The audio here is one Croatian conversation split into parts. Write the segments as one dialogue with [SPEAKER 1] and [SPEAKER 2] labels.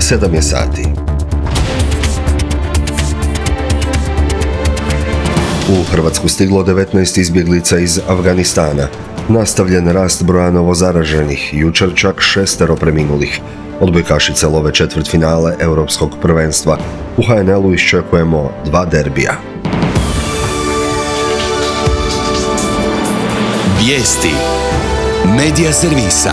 [SPEAKER 1] 7 je sati. U Hrvatsku stiglo 19 izbjeglica iz Afganistana. Nastavljen rast broja novozaraženih, jučer čak 6 preminulih. Odbojkašice love četvrtfinale Europskog prvenstva. U HNL-u iščekujemo 2 derbija.
[SPEAKER 2] Vijesti Medija servisa.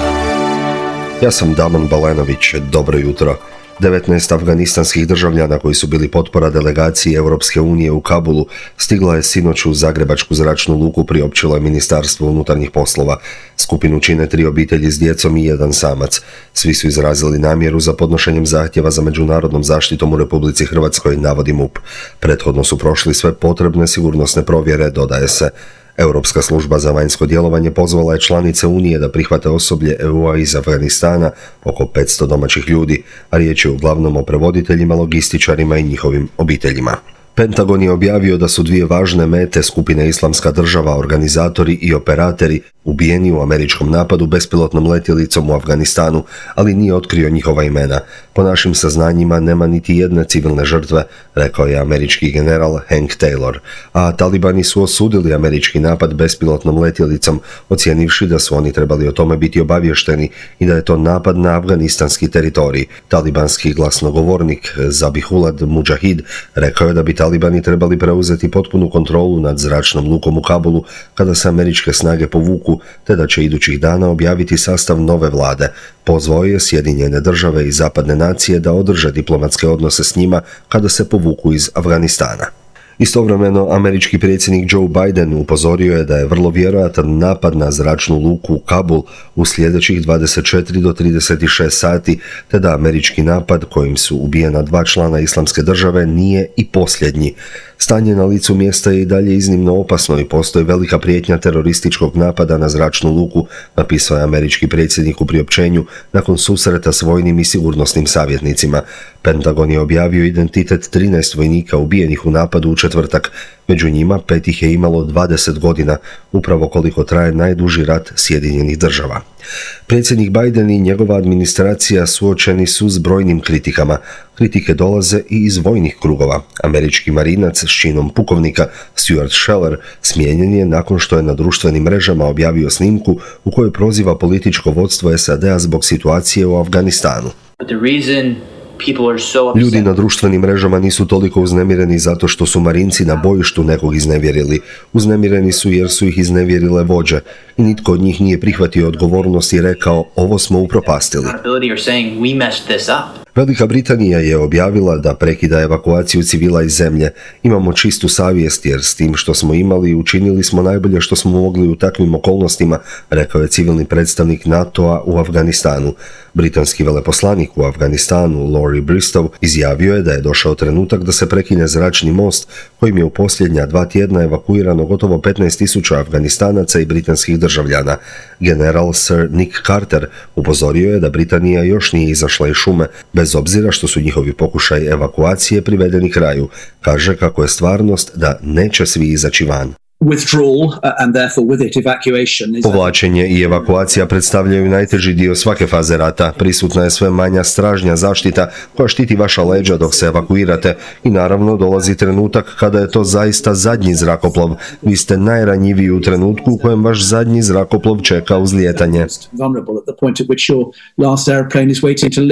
[SPEAKER 1] Ja sam Damon Balenović, dobro jutro. 19 afganistanskih državljana koji su bili potpora delegaciji Europske unije u Kabulu stigla je sinoć u Zagrebačku zračnu luku, priopćilo je Ministarstvo unutarnjih poslova. Skupinu čine 3 obitelji s djecom i 1 samac. Svi su izrazili namjeru za podnošenjem zahtjeva za međunarodnom zaštitom u Republici Hrvatskoj, navodi MUP. Prethodno su prošli sve potrebne sigurnosne provjere, dodaje se. Europska služba za vanjsko djelovanje pozvala je članice Unije da prihvate osoblje EU-a iz Afganistana, oko 500 domaćih ljudi, a riječ je uglavnom o prevoditeljima, logističarima i njihovim obiteljima. Pentagon je objavio da su 2 važne mete skupine Islamska država, organizatori i operatori, ubijeni u američkom napadu bespilotnom letjelicom u Afganistanu, ali nije otkrio njihova imena. Po našim saznanjima nema niti jedne civilne žrtve, rekao je američki general Hank Taylor, a talibani su osudili američki napad bespilotnom letjelicom, ocijenivši da su oni trebali o tome biti obavješteni i da je to napad na afganistanski teritorij. Talibanski glasnogovornik Zabihullah Mujahid rekao je da bi talibani trebali preuzeti potpunu kontrolu nad zračnom lukom u Kabulu kada se američke snage povuku, te da će idućih dana objaviti sastav nove vlade. Pozvao je Sjedinjene države i zapadne nacije da održe diplomatske odnose s njima kada se povuku iz Afganistana. Istovremeno, američki predsjednik Joe Biden upozorio je da je vrlo vjerojatan napad na zračnu luku u Kabul u sljedećih 24 do 36 sati, te da američki napad kojim su ubijena 2 člana Islamske države nije i posljednji. Stanje na licu mjesta je i dalje iznimno opasno i postoji velika prijetnja terorističkog napada na zračnu luku, napisao je američki predsjednik u priopćenju nakon susreta s vojnim i sigurnosnim savjetnicima. Pentagon je objavio identitet 13 vojnika ubijenih u napadu u četvrtak. Među njima 5 ih je imalo 20 godina, upravo koliko traje najduži rat Sjedinjenih država. Predsjednik Biden i njegova administracija suočeni su s brojnim kritikama. Kritike dolaze i iz vojnih krugova. Američki marinac s činom pukovnika Stuart Scheller smijenjen je nakon što je na društvenim mrežama objavio snimku u kojoj proziva političko vodstvo SAD-a zbog situacije u Afganistanu. Ljudi na društvenim mrežama nisu toliko uznemireni zato što su marinci na bojištu nekog iznevjerili. Uznemireni su jer su ih iznevjerile vođe i nitko od njih nije prihvatio odgovornost i rekao ovo smo upropastili. Velika Britanija je objavila da prekida evakuaciju civila iz zemlje. Imamo čistu savjest jer s tim što smo imali učinili smo najbolje što smo mogli u takvim okolnostima, rekao je civilni predstavnik NATO-a u Afganistanu. Britanski veleposlanik u Afganistanu, Laurie Bristow, izjavio je da je došao trenutak da se prekine zračni most kojim je u posljednja 2 tjedna evakuirano gotovo 15.000 Afganistanaca i britanskih državljana. General Sir Nick Carter upozorio je da Britanija još nije izašla iz šume, bez obzira što su njihovi pokušaj evakuacije privedeni kraju. Kaže kako je stvarnost da neće svi izaći van. Povlačenje i evakuacija predstavljaju najteži dio svake faze rata. Prisutna je sve manja stražnja zaštita koja štiti vaša leđa dok se evakuirate i naravno dolazi trenutak kada je to zaista zadnji zrakoplov. Vi ste najranjiviji u trenutku u kojem vaš zadnji zrakoplov čeka uzlijetanje.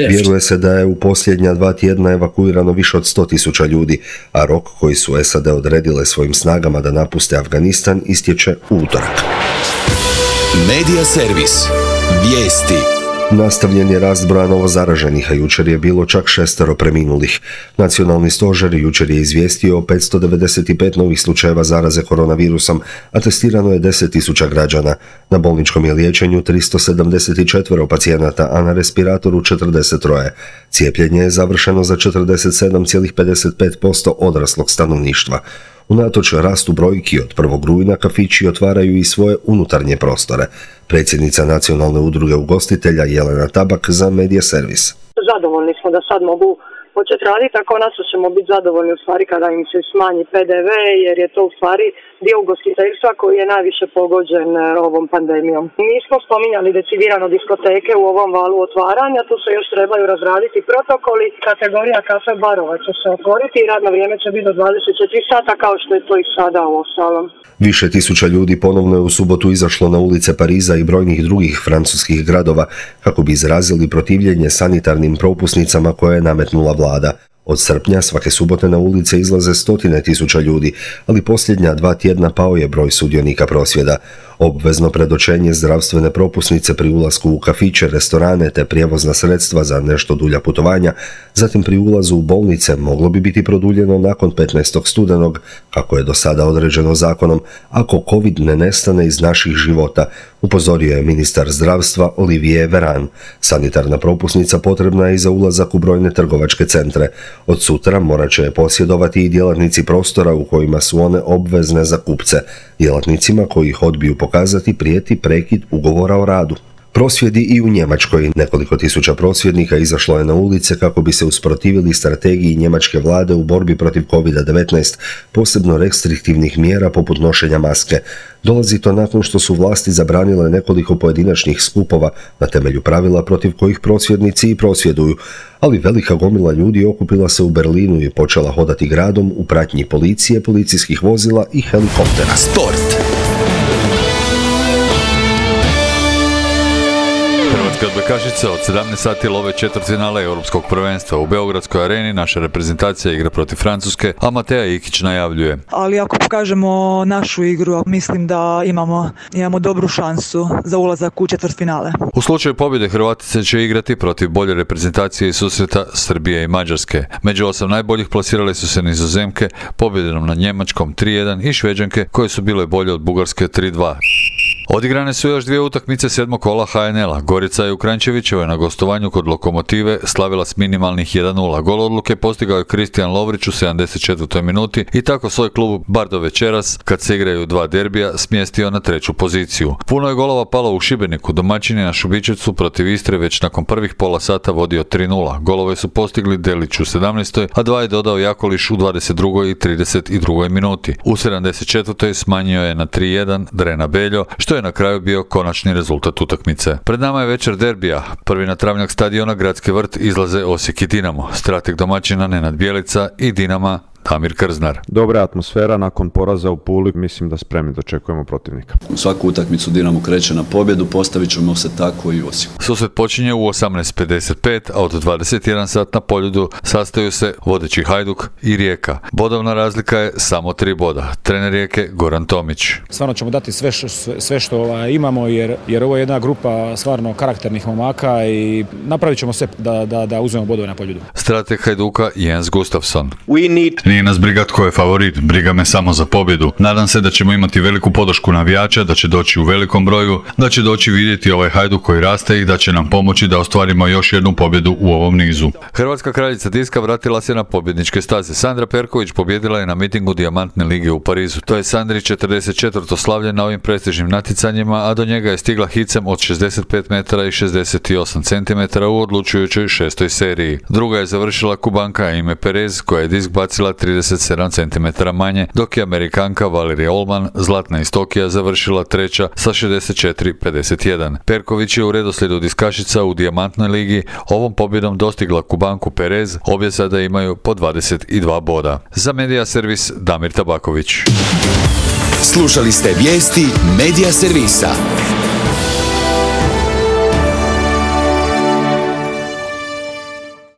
[SPEAKER 1] Vjeruje se da je u posljednja 2 tjedna evakuirano više od 100.000 ljudi, a rok koji su SAD odredile svojim snagama da napuste Afganistan istječe u utorak.
[SPEAKER 2] Medija servis. Vijesti.
[SPEAKER 1] Nastavljen je rast broja novozaraženih, a jučer je bilo čak 6 preminulih. Nacionalni stožer jučer je izvijestio o 595 novih slučajeva zaraze koronavirusom, a testirano je 10.000 građana. Na bolničkom je liječenju 374 pacijenata, a na respiratoru 43. Cijepljenje je završeno za 47,55% odraslog stanovništva. Unatoč rastu brojki od 1. rujna kafići otvaraju i svoje unutarnje prostore. Predsjednica Nacionalne udruge ugostitelja Jelena Tabak za Medija servis.
[SPEAKER 3] Zadovoljni smo da sad mogu početi raditi, a konačno ćemo biti zadovoljni u stvari kada im se smanji PDV, jer je to u stvari dio ugostiteljstva koji je najviše pogođen ovom pandemijom. Nismo spominjali decidirano diskoteke u ovom valu otvaranja, tu se još trebaju razraditi protokoli. Kategorija kafe barova će se otvoriti i radno vrijeme će biti do 24 sata kao što je to i sada u ostalom.
[SPEAKER 1] Više tisuća ljudi ponovno je u subotu izašlo na ulice Pariza i brojnih drugih francuskih gradova kako bi izrazili protivljenje sanitarnim propusnicama koje je nametnula vlada. Od srpnja svake subote na ulice izlaze 100.000 ljudi, ali posljednja 2 tjedna pao je broj sudionika prosvjeda. Obvezno predočenje zdravstvene propusnice pri ulasku u kafiće, restorane te prijevozna sredstva za nešto dulja putovanja, zatim pri ulazu u bolnice moglo bi biti produljeno nakon 15. studenog, kako je do sada određeno zakonom, ako COVID ne nestane iz naših života, upozorio je ministar zdravstva Olivier Véran. Sanitarna propusnica potrebna je i za ulazak u brojne trgovačke centre. Od sutra morat će je posjedovati i djelatnici prostora u kojima su one obvezne za kupce. Djelatnicima koji ih odbiju pokazati prijeti prekid ugovora o radu. Prosvjedi i u Njemačkoj. Nekoliko tisuća prosvjednika izašlo je na ulice kako bi se usprotivili strategiji njemačke vlade u borbi protiv COVID-19, posebno restriktivnih mjera poput nošenja maske. Dolazi to nakon što su vlasti zabranile nekoliko pojedinačnih skupova na temelju pravila protiv kojih prosvjednici i prosvjeduju, ali velika gomila ljudi okupila se u Berlinu i počela hodati gradom u pratnji policije, policijskih vozila i helikoptera.
[SPEAKER 2] Sport.
[SPEAKER 4] Odbojkašice od 17 sati love četvrtfinale Europskog prvenstva. U Beogradskoj areni naša reprezentacija igra protiv Francuske, a Mateja Ikić najavljuje.
[SPEAKER 5] Ali ako pokažemo našu igru, mislim da imamo dobru šansu za ulazak u četvrtfinale.
[SPEAKER 4] U slučaju pobjede Hrvatice će igrati protiv bolje reprezentacije i susreta Srbije i Mađarske. Među 8 najboljih plasirale su se Nizozemke, pobjedom nad Njemačkom 3-1 i Šveđanke koje su bile bolje od Bugarske 3-2. Odigrane su još 2 utakmice 7. kola HNL-a. Gorica je u Kranjčevićevoj na gostovanju kod Lokomotive slavila s minimalnih 1-0. Gol odluke postigao je Kristijan Lovrić u 74. minuti i tako svoj klub bar do večeras, kad se igraju 2 derbija, smjestio na 3. poziciju. Puno je golova palo u Šibeniku. Domaćin je na Šubićevcu protiv Istre već nakon prvih pola sata vodio 3-0. Golove su postigli Delić u 17. a 2 je dodao Jakoliš u 22. i 32. minuti. U 74. smanjio je na 3-1 Drena Beljo, što je na kraju bio konačni rezultat utakmice. Pred nama je večer derbija. Prvi na travnjak stadiona Gradski vrt izlaze Osijek i Dinamo. Strateg domaćina Nenad Bjelica i Dinama Damir Krznar.
[SPEAKER 6] Dobra atmosfera nakon poraza u Puli, mislim da spremni dočekujemo protivnika.
[SPEAKER 7] U svaku utakmicu Dinamo kreće na pobjedu, postavit ćemo se tako i u Osijeku.
[SPEAKER 4] Susret počinje u 18:55, a od 21 sat na Poljudu sastaju se vodeći Hajduk i Rijeka. Bodovna razlika je samo 3 boda. Trener Rijeke Goran Tomić.
[SPEAKER 8] Stvarno ćemo dati sve što imamo jer ovo je jedna grupa stvarno karakternih momaka i napravit ćemo sve da uzmemo bodove na Poljudu.
[SPEAKER 4] Strateg Hajduka Jens Gustafsson.
[SPEAKER 9] Nije nas briga tko je favorit, briga me samo za pobjedu. Nadam se da ćemo imati veliku podršku navijača, da će doći u velikom broju, da će doći vidjeti ovaj Hajduk koji raste i da će nam pomoći da ostvarimo još jednu pobjedu u ovom nizu.
[SPEAKER 4] Hrvatska kraljica diska vratila se na pobjedničke staze. Sandra Perković pobjedila je na mitingu Dijamantne lige u Parizu. To je Sandri 44. slavlje na ovim prestižnim natjecanjima, a do njega je stigla hicem od 65 metara i 68 cm u odlučujućoj 6. seriji. Druga je završila Kubanka Aimee Perez koja je disk bacila 37 cm manje, dok je Amerikanka Valerija Olman, zlatna iz Tokija, završila treća sa 64-51. Perković je u redoslijedu diskašica u Dijamantnoj ligi ovom pobjedom dostigla Kubanku Perez, obje sada imaju po 22 boda. Za Medija servis Damir Tabaković.
[SPEAKER 2] Slušali ste vijesti Medija servisa.